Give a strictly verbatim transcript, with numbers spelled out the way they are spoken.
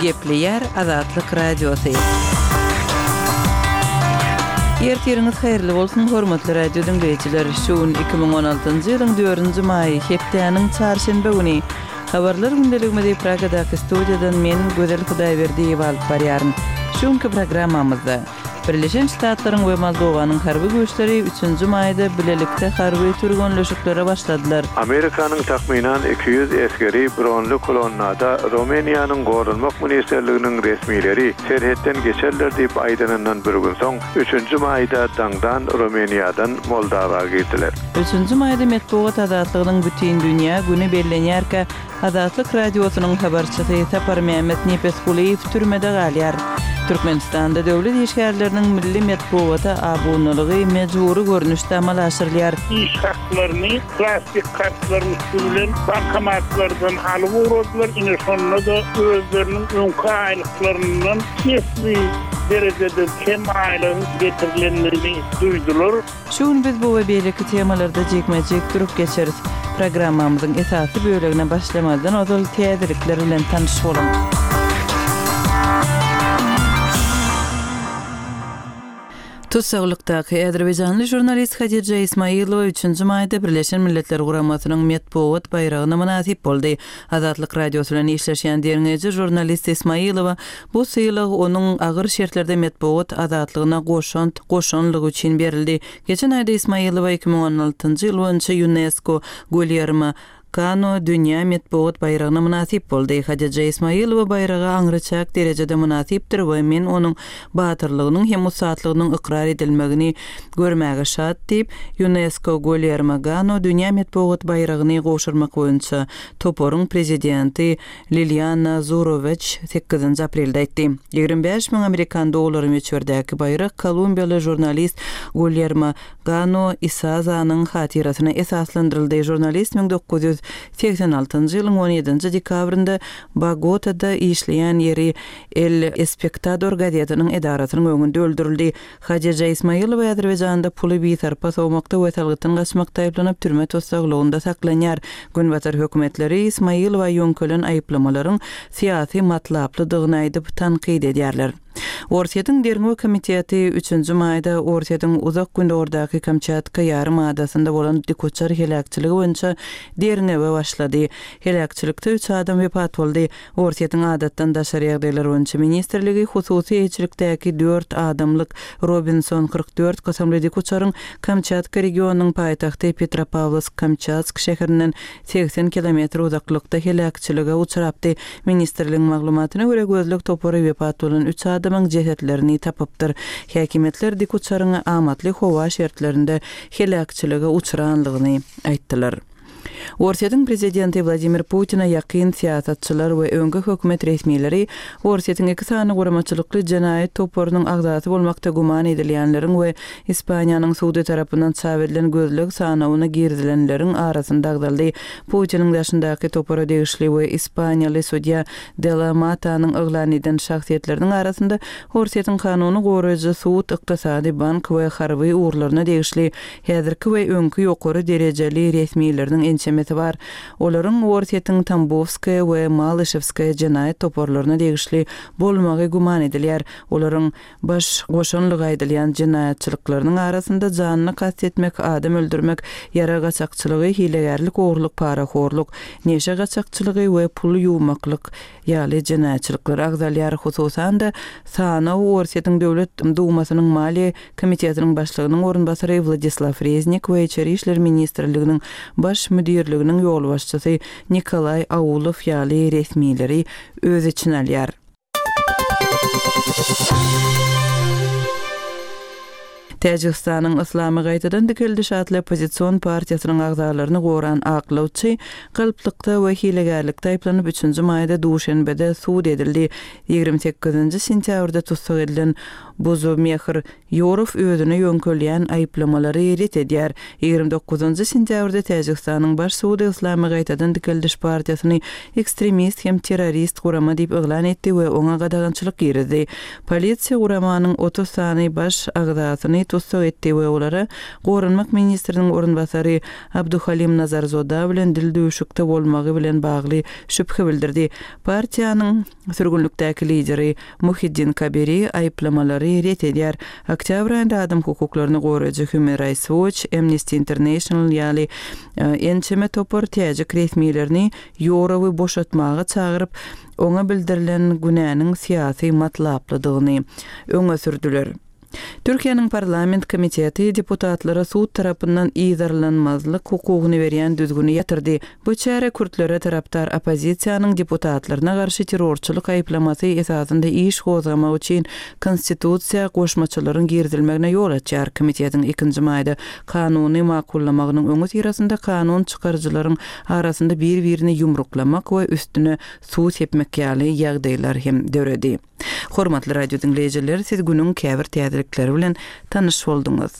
Gepleýär Azatlyk Radiosy. Ertiriňiz haýyrly bolsun, hormatly radio diňleýjiler. Şu gün iki müň on altynjy ýylyň dördünji maýy, hepdäniň çarşenbe güni. Habarlar gündeligimizi Pragadaky studiýadan men, Gözel Hudaýberdiýewa alyp barýaryn. Şu günki programmamyzda Birleşen Ştatlaryň we Moldowanyň harby güýçleri üçünji maýda bilelikde harby türgenleşiklere başladylar. Amerikanyň takmynan iki ýüz esgeri bronly kolonnada Rumyniýanyň Goranmak ministrliginiň resmileri serhetden geçerler diýip aýdanyndan bir gün soň, üçünji maýda daňdan Rumyniýadan Moldawa girdiler. Üçünji maýda metbugat azatlygynyň bütindünýä güni bellenýärkä, Azatlyk Radiosynyň habarçysy Saparmämmet Nepesgulyýew türmede galýar. Türkmenistanda döwlet işgärleriniň milli metbugata abunalygy mejbury görnüşde amala aşyrylýar. Iş haklaryny plastik kartlaryň üsti bilen bankomatlardan alyp ugradylar. Ine şonda-da özleriniň öňki aýlyklaryndan esli derejede kem aýlygyň getirilendigini duýdular. Şu gün biz bu we beýleki temalarda jikme-jik durup geçeris. Programmamyzyň esasy bölegine başlamazdan ozal täzelikler bilen tanyş boluň. Tussaglykdaky azerbaýjanly žurnalist Hadija Ismailowa üçünji maýda Birleşen Milletler Guramasynyň metbugat baýragyna mynasyp boldy. Azatlyk Radiosy bilen işleşýän derňeýji žurnalist Ismailowa bu sylag onuň agyr şertlerde metbugat azatlygyna goşant goşanlygy üçin berildi. Geçen aýda Ismailowa iki müň on altynjy ýyl boýunça UNESCO Guillermo Kano dünýä metbugat baýragyna mynasyp boldy. Hadija Ismailowa baýraga aňryçäk derejede mynasypdyr we men onuň batyrlygynyň hem ussatlygynyň ykrar edilmegini görmäge şat diýip, UNESCO Guillermo Gano dünýä metbugat baýragyny gowşurmak boýunça toparyň prezidenti Liliana Zuroweç sekizinji aprelde aýtdy. Ýigrimi bäş müň amerikan dollary möçberdäki baýrak kolumbiýaly žurnalist Guillermo Gano Isazanyň hatyrasyna esaslandyryldy. Žurnalist müň dokuz ýüz segsen altynjy ýylyň on ýedinji dekabrynda Bogotada işleýän ýeri El Espectador gazetiniň edarasynyň öňünde öldürildi. Hadija Ismailowa Azerbaýjanda puly bisarpa sowmakda we salgytdan gaçmakda aýyplanyp türme tussaglygynda saklanýar. Günbatar hökümetleri Ismailowa ýöňkelen aýyplamalaryň syýasy matlaplydygyny aýdyp tankyt edýärler. Orsýetiň derňew komiteti üçünji maýda Orsýetiň uzak gündogardaki Kamçatka ýarym adasynda bolan dikuçar heläkçiligi boýunça derňewe başlady. Heläkçilikde üç adam wepat boldy. Orsýetiň adatdan daşary ýagdaýlar boýunça ministrligi hususy eýeçilikdäki dört adamlyk Robinson kyrk dört kysymly dikuçaryň Kamçatka regionynyň paýtagty Petropawlovsk-Kamçatsk şäherinden segsen kilometr uzaklykda heläkçilige uçrapdy. Ministrligiň maglumatyna görä gözleg topary wepat bolan üç adamyň jesetlerini tapypdyr. Häkimiýetler dikuçaryň amatly howa şertlerinde heläkçilige uçranlygyny aýtdylar. Orsýetiň prezidenti Wladimir Putina ýakyn syýasatçylar we öňki hökümet resmileri Orsýetiň iki sany guramaçylykly jenaýat toparynyň agzasy bolmakda güman edilýänleriň we Ispaniýanyň sudy tarapyndan çap edilen gözleg sanawyna girizilenleriň arasynda agzaldy. Putiniň daşyndaky topara degişli we ispaniýaly sudýa De La Matanyň yglan eden şahsyýetleriniň arasynda Orsýetiň kanuny goraýjy sud, ykdysady, bank we harby ugurlaryna degişli häzirki we öňki ýokary derejeli resmileriniň ençemesi bar. Olaryň Orsýetiň Tambowskaýa we Malyşewskaýa jenaýat toparlaryna degişli bolmagy güman edilýär. Olaryň baş goşanlygy aýdylýan jenaýatçylyklarynyň arasynda janyny kast etmek, adam öldürmek, ýara gaçakçylygy, hilegärlik, ogurlyk, parahorluk, neşe gaçakçylygy we pul ýuwmaklyk ýaly jenaýatçylyklar agzalýar. Hususan-da sanaw Orsýetiň Döwlet Dumasynyň Maliýe komitetiniň başlygynyň orunbasary Wladislaw Reznik we Içeri işler ministrliginiň baş müdirliginiň ýolbaşçysy Nikolay Aulow ýaly resmileri öz içine alýar. Täjigistanyň Yslamy gaýtadan dikeldiş atly oppozision partiýasynyň agzalaryny goran aklawçy galplykda we hilegärlikde aýyplanyp üçünji maýda Duşenbede sud edildi. Ýigrimi sekizinji sentýabrda tussag edilen Buzomehr Ýorow özüne ýöňkelýän aýyplamalary ret edýär. Ýigrimi dokuzynjy sentýabrda Täjigistanyň Baş sudy Yslamy gaýtadan dikeldiş partiýasyny ekstremist hem terrorist gurama diýip yglan etdi we oňa gadagançylyk girizdi. Polisiýa guramanyň otuz sany baş agzasyny tussag etdi we olara Goranmak ministriniň orunbasary Abduhalim Nazarzoda bilen dildüwşükde bolmagy bilen bagly şübhe bildirdi. Partiýanyň sürgünlikdäki lideri Muhiddin Kabiri aýyplamalary ret edýär. Oktýabr aýynda adam hukuklaryny goraýjy Human Rights Watch, Amnesty International ýaly ençeme topar täjik resmilerini Ýorowy boşatmaga çagyryp, oňa bildirilen günäniň syýasy matlaplydygyny öňe sürdüler. Türkiýäniň parlament komiteti deputatlara sud tarapyndan yzarlanmazlyk hukugyny berýän düzgüni ýatyrdy. Bu çäre kürtlere tarapdar oppozisiýanyň deputatlaryna garşy terrorçylyk aýyplamasy esasynda iş gozgamak üçin konstitusiýa goşmaçalaryň girizilmegine ýol açýar. Komitetiň ikinji maýda kanuny makullamagynyň öňüsyrasynda kanun çykaryjylaryň arasynda bir-birini ýumruklamak we üstüne suw sepmek ýaly ýagdaýlar hem döredi. Hormatly radio diňleýjiler, siz günüň käbir täzelikleri bilen tanyş bolduňyz.